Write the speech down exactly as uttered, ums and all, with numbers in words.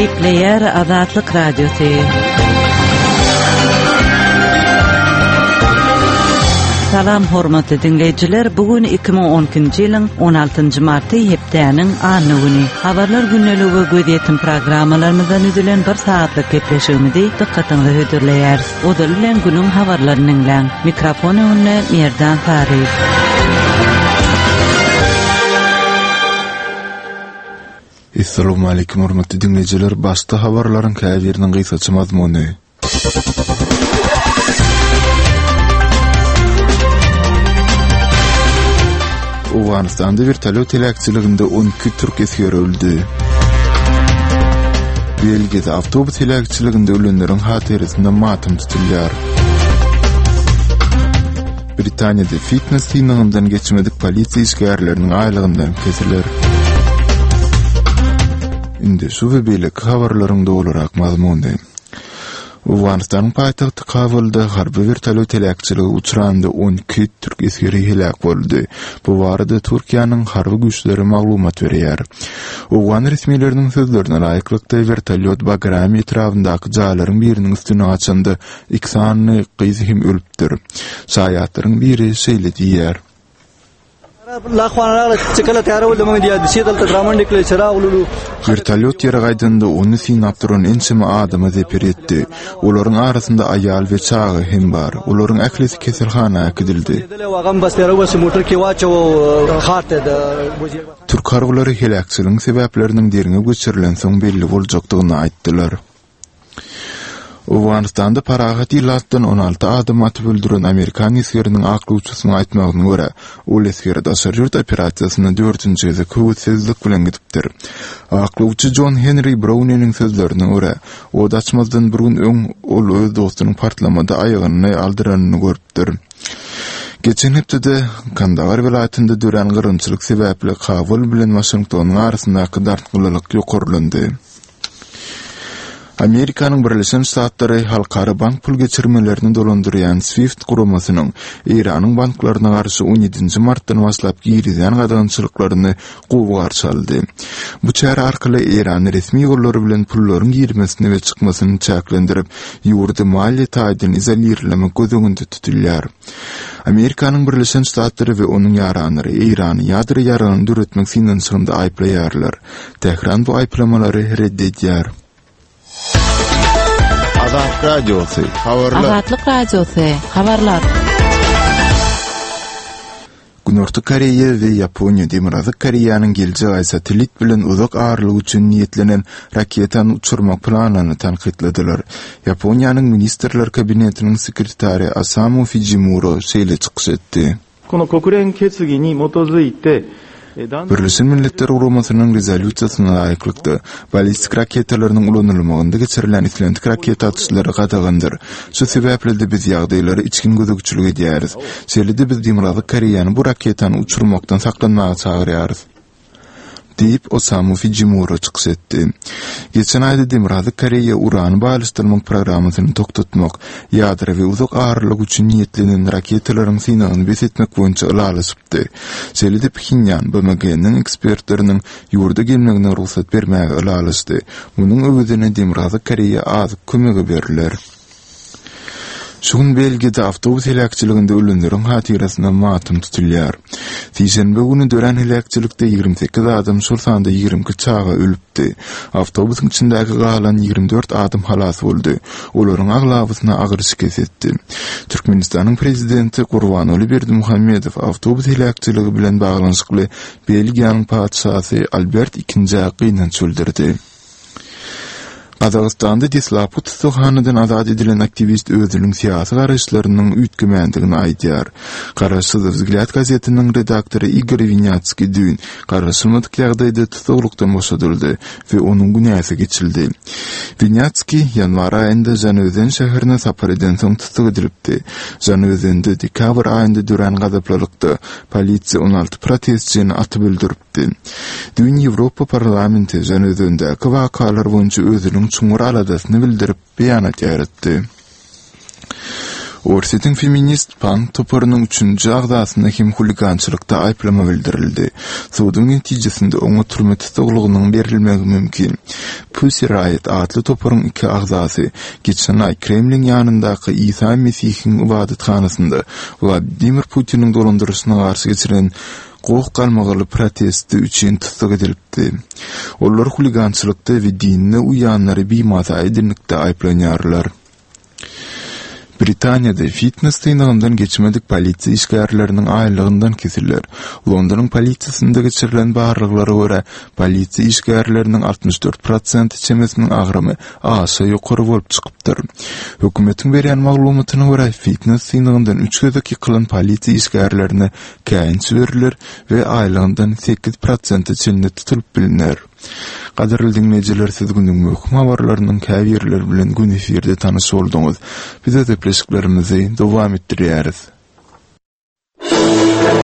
Gepleýär Azatlyk Radiosy. Salam hormatly diňleýjiler, bu gün iki müň on ikinji ýylyň on altynjy marty hepdäniň anna güni. Habarlar gündeligi we gözýetim programmalarymyzdan düzülen bir saatlyk gepleşigimizi dykgatyňyza hödürleýäris. Ozaly bilen günüň habarlaryny diňläň. Mikrofon öňünde Merdan Saryýew. Essalamu aleýkum hormatly diňleýjiler, başda habarlaryň käbiriniň gysgaça mazmuny. Owganystanda vertolyot heläkçiliginde on iki türk esgeri öldü. Belgiýada awtobus heläkçiliginde ölenleriň hatyrasynda matam tutulýar. Britaniýada fitness synagyndan geçmedik polisiýa işgärleriniň aýlygyndan kesiler. Indi şu we beýleki habarlaryň dolurak mazmuny. Owganystanyň paýtagty Kabulda harby vertolyot heläkçiligi uçranda on iki türk esgeri heläk boldy. Bu barada Türkiýäniň harby güýçleri maglumat berýär. Owgan resmileriniň sözlerine laýyklykda vertolyot Bagrami etrabyndaky jaýlaryň biriniň üstüne gaçanda iki sany gyz hem ölüpdir. Şaýatlaryň biri şeýle diýýär. Vertolyot ýere gaýdanda ony synap duran ençeme adama zeper ýetdi. Olaryň arasynda aýal we çaga hem bar. Olaryň ählisi keselhana äkidildi. Türk harbylary heläkçiligiň sebäpleriniň derňew geçirilen soň belli boljakdygyny aýtdylar. Owganystanda parahat ilatdan on alty adam atyp öldüren Amerikan esgeriniň aklawçysynyň aýtmagyna görä, ol esger daşary ýurt operasiýasyna dördünji gezek höwessizlik bilen gidipdir. Aklawçy John Henry Browniniň sözlerine görä, od açmazdan bir gün öň ol öz dostunyň partlamada aýagyny aldyranyny görüpdir. Geçen hepdede Kandahar welaýatynda dörän gyrgynçylyk sebäpli Kabul bilen Waşingtonyň arasyndaky dartgynlylyk ýokarlandy. Amerikanyň Birleşen Ştatlary halkara bank pul geçirmelerini dolandyrýan SWIFT guramasynyň Eýranyň banklaryna garşy on ýedinji martdan başlap girizýän gadagançylyklaryny gowy garşy aldy. Bu çäre arkaly Eýrany resmi ýollary bilen pullaryň girmesini we çykmasyny çäklendirip, ýurdy maliýe taýdan izolirlemek göz öňünde tutulýar. Amerikanyň Birleşen Ştatlary we onuň ýaranlary Eýrany ýadro ýaragyny döretmek synanyşygynda aýyplaýarlar. Tähran bu aýyplamalary red edýär. Azatlyk Radiosy, habarlar. Azatlyk Radiosy, habarlar. Günorta Koreýa we Ýaponiýa Demirgazyk Koreýanyň geljek aý satellit bilen uzak aralyk üçin niýetlenen raketany uçurmak planyny tankytladylar. Ýaponiýanyň Ministrler Kabinetiniň sekretary Osamu Fujimura şeýle çykyş etdi. Kono kokuren ketsugi ni motozuite Birleşen Milletler Guramasynyň rezolýusiýasyna laýyklykda, ballistik raketalarynyň ulanylmagynda geçirilen islendik raketa atyşlary gadagandyr. Şu sebäpli-de biz ýagdaýlara içgin gözegçilik edýäris. Şeýle-de biz Demirgazyk Koreýany bu raketany uçurmakdan saklanmaga çagyrýarys, diýip, Osamu Fujimura çykyş etdi. Geçen aýda Demirgazyk Koreýa urany baýlaşdyrmak programmasyny togtatmak, ýadro we uzak aralyk üçin niýetlenen raketalaryň synagyny bes etmek boýunça ylalaşypdy. Şeýle-de Phenýan B M G-niň ekspertleriniň ýurda gelmegine rugsat bermäge ylalaşdy. Munuň öwezine Demirgazyk Koreýa azyk kömegi beriler. Şu gün Belgiýada awtobus heläkçiliginde ölenleriň hatyrasyna matam tutulýar. Sişenbe güni dörän heläkçilikde ýigrimi sekiz adam, şol sanda ýigrimi iki çaga ölüpdi. Awtobusyň içindäki galan ýigrimi dört adam halas boldy. Olaryň aglabasyna agyr şikes etdi. Türkmenistanyň prezidenti Gurbanguly Berdimuhamedow awtobus heläkçiligi bilen baglanyşykly Belgiýanyň patyşasy Albert ikinjä gynanç bildirdi. Gazagystanda deslapky tussaghanadan azat edilen aktiwist özüniň syýasy garaýyşlarynyň üýtgemändigini aýdýar. Garaşsyz Vzglýad gazetiniň redaktory Igor Winýatskiý düýn garaşylmadyk ýagdaýda tussaglykdan boşadyldy we onuň günäsi geçildi. Winýatskiý ýanwar aýynda Žanözen şäherine sapar edensoň tussag edilipdi. Žanözende dekabr aýynda dörän gazaplylykda polisiýa on alty protestçini atyp öldüripdi. Düýn Ýewropa parlamenti Žanözendäki wakalar boýunça özüniň çuňňur aladasyny bildirip beýanat ýaratdy. Orsýetiň feminist punk toparynyň üçünji agzasyna hem huligançylykda aýyplama bildirildi. Suduň netijesinde oňa türme tussaglygynyň berilmegi mümkin. Pussy Riot atly toparyň iki agzasy geçen aý Kremliň ýanyndaky Isa Mesihiň ybadathanasynda Wladimir Putiniň dolandyryşyna garşy geçirilen goh-galmagaly protesti üçin tussag edilipdi. Olar huligançylykda we dinine uýanlary bimasa edinlikde aýyplanýarlar. Britaniýada fitness synagyndan geçmedik polisiýa işgärleriniň aýlygyndan kesiler. Londonyň polisiýasynda geçirilen barlaglara görä, polisiýa işgärleriniň altmyş dört prosent çemesiniň agramy aşa ýokary bolup çykypdyr. Hökümetiň berýän maglumatyna görä, fitness synagyndan üç gezek ýykylan polisiýa işgärlerine käýinç beriler we aýlygyndan sekiz prosente çenli tutulyp bilner. Gadyrly diňleýjiler, siz günüň möhüm habarlarynyň käbirleri bilen gün efirde tanyş bolduňyz. Biz öz gepleşiklerimizi dowam etdirýäris.